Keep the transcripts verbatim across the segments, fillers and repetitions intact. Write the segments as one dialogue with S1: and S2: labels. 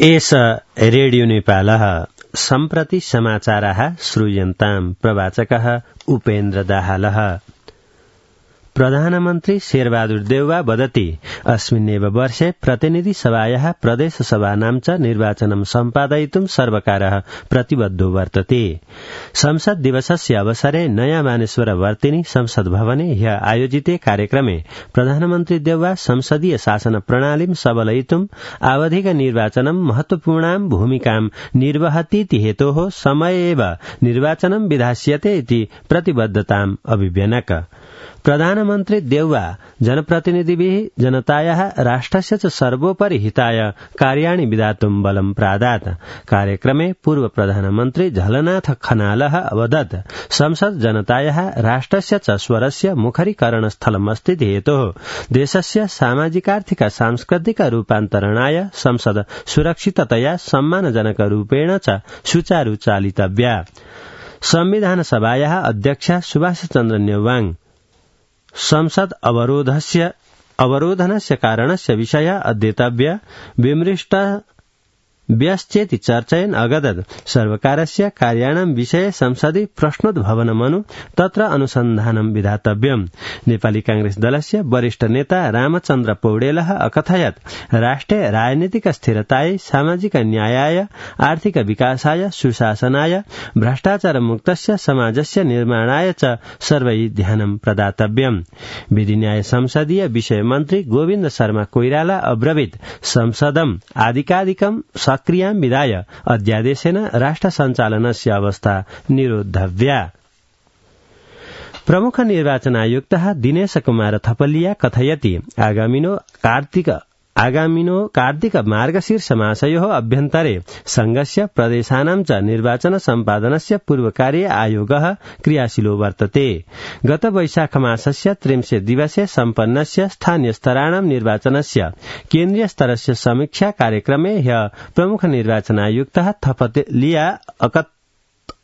S1: एष रेडियो नेपालः सम्प्रति समाचाराः श्रूयन्ताम् प्रवाचकः उपेन्द्र दाहालः। प्रधानमन्त्री शेरबहादुर देउवा वदति अस्मिन्नेव वर्षे प्रतिनिधि सभायाः प्रदेश सभानां च निर्वाचनं सम्पादयितुं सर्वकारः प्रतिबद्धो वर्तते। संसद दिवसस्य अवसरे नयाँ मानेश्वर वर्तिनी संसद भवने ह्य आयोजिते कार्यक्रमे प्रधानमन्त्री देउवा संसदीय शासन प्रणालीं सबलयितुं आवधिक निर्वाचनं महत्वपूर्णां भूमिकां निर्वहतीति हेतोः समये एव निर्वाचनं विधास्यते इति प्रतिबद्धताम् अभिव्यनक। प्रधानमन्त्री देउवा जनप्रतिनिधिभिः जनतायाः राष्ट्रस्य च सर्वोपरि हिताय कार्याणि विधातुं बलं प्रादात्। कार्यक्रमे पूर्व प्रधानमन्त्री झलनाथ खनालः अवदत् संसद जनतायाः राष्ट्रस्य च स्वरस्य मुखरीकरणस्थलमस्ति हेतोः देशस्य सामाजिकार्थिक सांस्कृतिक रूपान्तरणाय संसद सुरक्षिततया सम्मानजनकरूपेण च सुचारू चालितव्या। संविधान सभायाः अध्यक्ष सुभाष चन्द्र नेवाङ संसद अवरोधस्य अवरोधनस्य कारणस्य विषय अध्येतव्य विमृष्ट व्यश्चेति चर्चयन् अगदत् सर्वकारस्य कार्याणां विषये संसदि प्रश्नोद्भवनमनु तत्र अनुसन्धानं विधातव्यम्। नेपाली कांग्रेस दलस्य वरिष्ठ नेता रामचन्द्र पौडेलः अकथयत् राष्ट्रे राजनीतिक स्थिरतायै सामाजिक न्यायाय आर्थिक विकासाय सुशासनाय भ्रष्टाचार मुक्तस्य समाजस्य निर्माणाय च सर्वैः ध्यानं प्रदातव्यम्। विधि न्याय संसदीय विषय मन्त्री गोविन्द शर्मा कोइराला अब्रवीत् संसदम् आदिकादिकं सक्रियां विधाय अध्यादेशेन राष्ट्र सञ्चालनस्य अवस्था निरोद्धव्या। प्रमुख निर्वाचन आयुक्तः दिनेश कुमार थपलिया कथयति आगामिनो कार्तिक आगामिनो कार्तिक मार्गशीर्ष मासयोः अभ्यन्तरे संघस्य प्रदेशानां च निर्वाचन सम्पादनस्य पूर्वकार्य आयोगः क्रियाशीलो वर्तते। गत वैशाख मासस्य त्रिंशे दिवसे सम्पन्नस्य स्थानीय स्तराणां निर्वाचनस्य केन्द्रीय स्तरस्य समीक्षा कार्यक्रमे ह्य प्रमुख निर्वाचन आयुक्तः थपलिया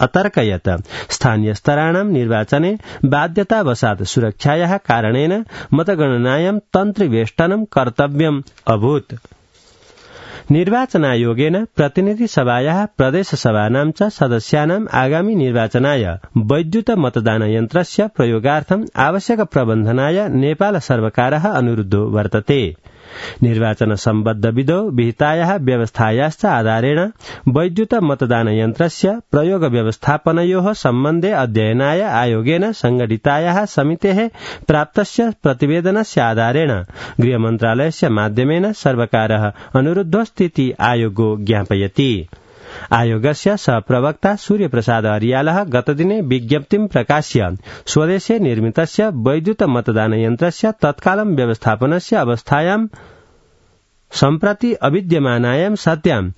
S1: अतर्कयत् स्थानीय स्तराणां निर्वाचने बाध्यतावशात् सुरक्षायाः कारणेन मतगणनायां तन्त्रिवेष्टनं कर्तव्यम् अभूत्। निर्वाचन आयोगेन प्रतिनिधि सभायाः प्रदेश सभानां च सदस्यानाम् आगामी निर्वाचनाय वैद्युत मतदान यन्त्रस्य प्रयोगार्थम् आवश्यक प्रबन्धनाय नेपाल सर्वकारः अनुरुद्धो वर्तते। निर्वाचन सम्बद्ध विधौ विहितायाः व्यवस्थायाश्च आधारेण वैद्युत मतदान यन्त्रस्य प्रयोग व्यवस्थापनयोः सम्बन्धे अध्ययनाय आयोगेन संघटितायाः समितेः प्राप्तस्य प्रतिवेदनस्य आधारेण गृहमन्त्रालयस्य माध्यमेन सर्वकारः अनुरुद्धोऽस्तीति आयोगो ज्ञापयति। आयोगस्य सहप्रवक्ता सूर्यप्रसाद अरियालः गतदिने विज्ञप्तिं प्रकाश्य स्वदेशे निर्मितस्य वैद्युत मतदान यन्त्रस्य तत्कालं व्यवस्थापनस्य अवस्थायां सम्प्रति अविद्यमानायां सत्याम्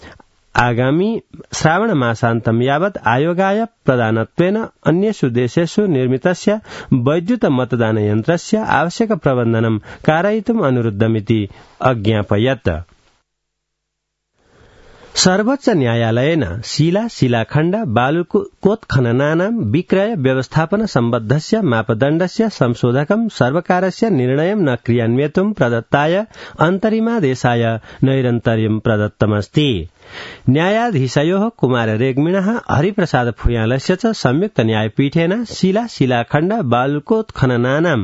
S1: आगामी श्रावण मासान्तं यावत् आयोगाय प्रदानत्वेन अन्येषु देशेषु निर्मितस्य वैद्युत मतदान यन्त्रस्य आवश्यक प्रबन्धनं कारयितुम् अनुरुद्धमिति अज्ञापयत्। सर्वोच्च न्यायालयेन शिला शिलाखण्ड बालुकोत्खननानां विक्रय व्यवस्थापन सम्बद्धस्य मापदण्डस्य संशोधकं सर्वकारस्य निर्णयं न क्रियान्वयितुं प्रदत्ताय अन्तरिमादेशाय नैरन्तर्यं प्रदत्तमस्ति। न्यायाधीशयोः कुमार रेग्मिणः हरिप्रसाद फुयालस्य च संयुक्त न्यायपीठेन शिला शिलाखण्ड बालुकोत्खननानां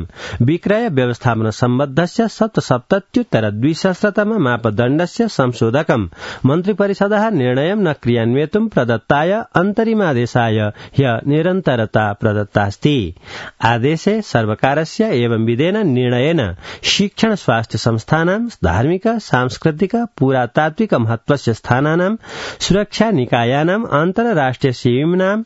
S1: विक्रय व्यवस्थापन सम्बद्धस्य सप्तसप्तत्युत्तर द्विसहस्रतम मापदण्डस्य संशोधकं मन्त्रिपरिषदः निर्णयं न क्रियान्वयितुं प्रदत्ताय अन्तरिमादेशाय ह्य निरन्तरता प्रदत्तास्ति। आदेशे सर्वकारस्य एवं विधेन निर्णयेन शिक्षण स्वास्थ्य संस्थानां धार्मिक सांस्कृतिक पुरातात्विक महत्वस्य स्थानानां सुरक्षा निकायानाम् अन्तर्राष्ट्रिय सीमानां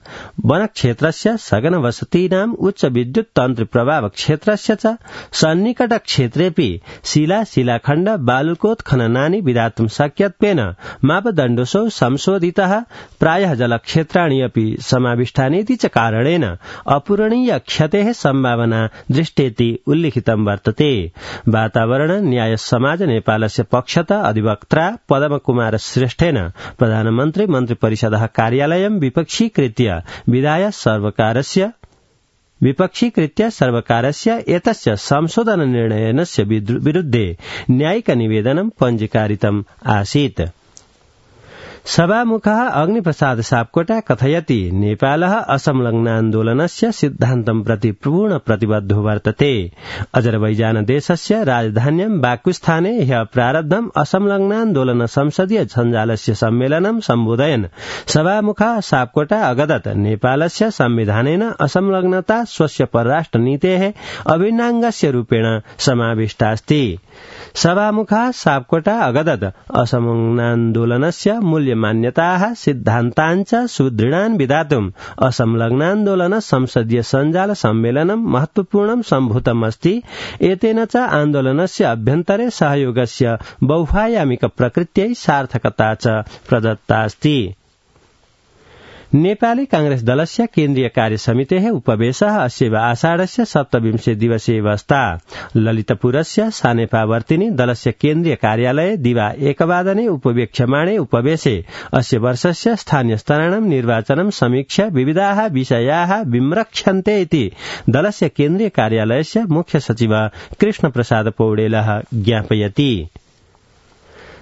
S1: वनक्षेत्रस्य सघन वसतीनाम् उच्च विद्युत तन्त्र प्रभाव क्षेत्रस्य च सन्निकट क्षेत्रेऽपि शिला शिलाखण्ड बालुकोत्खननानि विधातुं शक्यत्वेन मापदण्डोऽसौ संशोधितः प्रायः जलक्षेत्राणि अपि समाविष्टानीति च कारणेन अपूरणीय क्षतेः सम्भावना दृष्टेति उल्लिखितं वर्तते। वातावरण न्याय समाज नेपालस्य पक्षतः अधिवक्ता पद्मकुमार श्रेष्ठेन प्रधानमन्त्री मन्त्रिपरिषदः कार्यालयं विपक्षीकृत्य विधाय सर्वकारस्य विपक्षीकृत्य सर्वकारस्य एतस्य संशोधन निर्णयस्य विरुद्धे न्यायिक निवेदनं पञ्जीकारितम् आसीत्। सभामुखः अग्निप्रसाद सापकोटा कथयति नेपालः असंलग्नान्दोलनस्य सिद्धान्तं प्रति पूर्ण प्रतिबद्धो वर्तते। अजरबैजान देशस्य राजधान्यां बाकुस्थाने ह्यः प्रारब्धम् असंलग्नान्दोलन संसदीय सञ्जालस्य सम्मेलनं सम्बोधयन् सभामुखः सापकोटा अगदत् नेपालस्य संविधानेन असंलग्नता स्वस्य परराष्ट्रनीतेः अभिन्नाङ्गस्य रूपेण समाविष्टास्ति। सभामुखः सापकोटा अगदत् असंलग्नान्दोलनस्य मूल्यमान्यताः सिद्धान्ताञ्च सुदृढान् विधातुम् असंलग्नान्दोलन संसदीय सञ्जाल सम्मेलनं महत्वपूर्णं सम्भूतम् अस्ति। एतेन च आन्दोलनस्य अभ्यन्तरे सहयोगस्य बहुआयामिक प्रकृत्यै सार्थकता च प्रदत्ता अस्ति। नेपाली कांग्रेस दलस्य केन्द्रीय कार्यसमितेः उपवेशः अस्यैव आषाढस्य सप्तविंशे दिवसे वस्ता। ललितपुरस्य सानेपावर्तिनि दलस्य केन्द्रीय कार्यालये दिवा एकवादने उपवेक्ष्यमाणे उपवेशे अस्य वर्षस्य स्थानीयस्तराणां निर्वाचनं समीक्ष्य विविधाः विषयाः विम्रक्ष्यन्ते इति दलस्य केन्द्रीय कार्यालयस्य मुख्य सचिव कृष्णप्रसाद पौडेलः ज्ञापयति।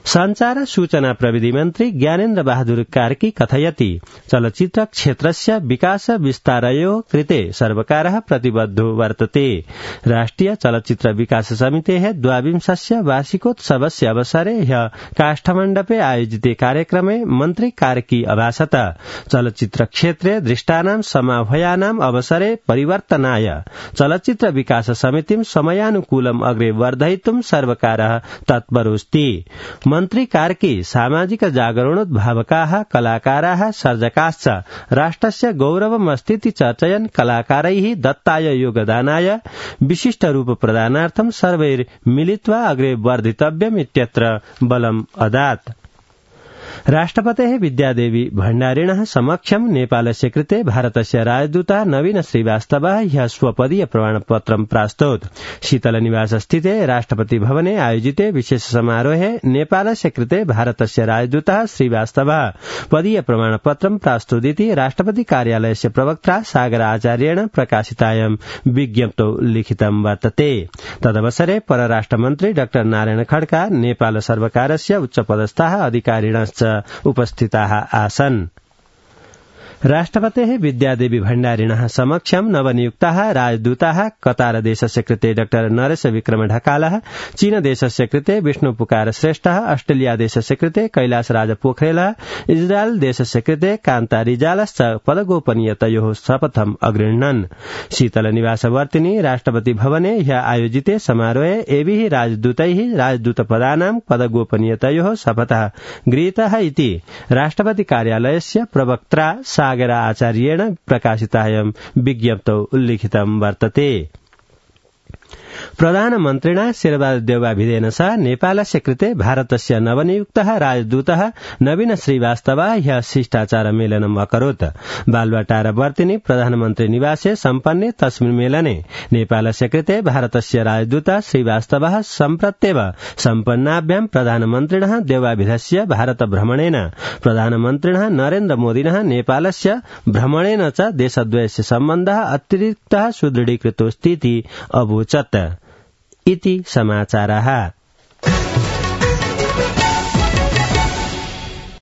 S1: संचार सूचना प्रविधि मन्त्री ज्ञानेन्द्र बहादुर कार्की कथयति चलचित्र क्षेत्रस्य विकास विस्तारयोः कृते सर्वकारः प्रतिबद्धो वर्तते। राष्ट्रिय चलचित्र विकास समितेः द्वाविंशस्य वार्षिकोत्सवस्य अवसरे ह्यः काष्ठमण्डपे आयोजिते कार्यक्रमे मन्त्री कार्की अभाषत चलचित्र क्षेत्रे दृष्टानां समाह्वयानाम् अवसरे परिवर्तनाय चलचित्र विकास समितिं समयानुकूलम् अग्रे वर्धयितुं सर्वकारः तत्परोऽस्ति। मन्त्री कार्की सामाजिक जागरणोद्भावकाः कलाकाराः सर्जकाश्च राष्ट्रस्य गौरवमस्तीति चर्चयन् कलाकारैः दत्ताय योगदानाय विशिष्टरूप प्रदानार्थं सर्वैर्मिलित्वा अग्रे वर्धितव्यम् इत्यत्र बलम् अदात्। राष्ट्रपतेः विद्यादेवी भण्डारिणः समक्षं नेपालस्य कृते भारतस्य राजदूतः नवीन श्रीवास्तवः ह्यः स्वपदीय प्रमाणपत्रं प्रास्तौत्। शीतलनिवास स्थिते राष्ट्रपति भवने आयोजिते विशेष समारोहे नेपालस्य कृते भारतस्य राजदूतः श्रीवास्तवः पदीय प्रमाणपत्रं प्रास्तौदिति राष्ट्रपति कार्यालयस्य प्रवक्ता सागर आचार्येण प्रकाशितायां विज्ञप्तौ लिखितं वर्तते। तदवसरे परराष्ट्रमन्त्री डाक्टर नारायण खड्का नेपाल सर्वकारस्य उच्चपदस्थाः अधिकारिणश्च उपस्थिताः आसन्। राष्ट्रपतेः विद्यादेवी भण्डारिणः समक्षं नवनियुक्ताः राजदूताः कतार देशस्य कृते डाक्टर नरेश विक्रम ढकालः, चीन देशस्य कृते विष्णु पुकार श्रेष्ठः, अस्ट्रेलिया देशस्य कृते कैलाश राज पोखरेलः, इजरायल देशस्य कृते कान्ता रिजालश्च पदगोपनीयतयोः शपथम् अगृह्णन्। शीतलनिवासवर्तिनि राष्ट्रपति भवने ह्यः आयोजिते समारोहे एभिः राजदूतैः राजदूतपदानां पदगोपनीयतयोः शपथः गृहीतः इति राष्ट्रपति कार्यालयस्य प्रवक्त्रा सागर आचार्येण प्रकाशितायां विज्ञप्तौ उल्लिखितं वर्तते। प्रधानमन्त्रिणा शेरबहादुर देउवाभिधेन सह नेपालस्य कृते भारतस्य नवनियुक्तः राजदूतः नवीन श्रीवास्तवः ह्यः शिष्टाचार मेलनम् अकरोत्। बालुवाटारवर्तिनि प्रधानमन्त्री निवासे सम्पन्ने तस्मिन् मेलने नेपालस्य कृते भारतस्य राजदूतः श्रीवास्तवः सम्प्रत्येव सम्पन्नाभ्यां प्रधानमन्त्रिणः देउवाभिधस्य भारत भ्रमणेन प्रधानमन्त्रिणः नरेन्द्र मोदिनः नेपालस्य भ्रमणेन च देशद्वयस्य सम्बन्धः अतिरिक्तः सुदृढीकृतोऽस्तीति अवोचत् इति समाचारः।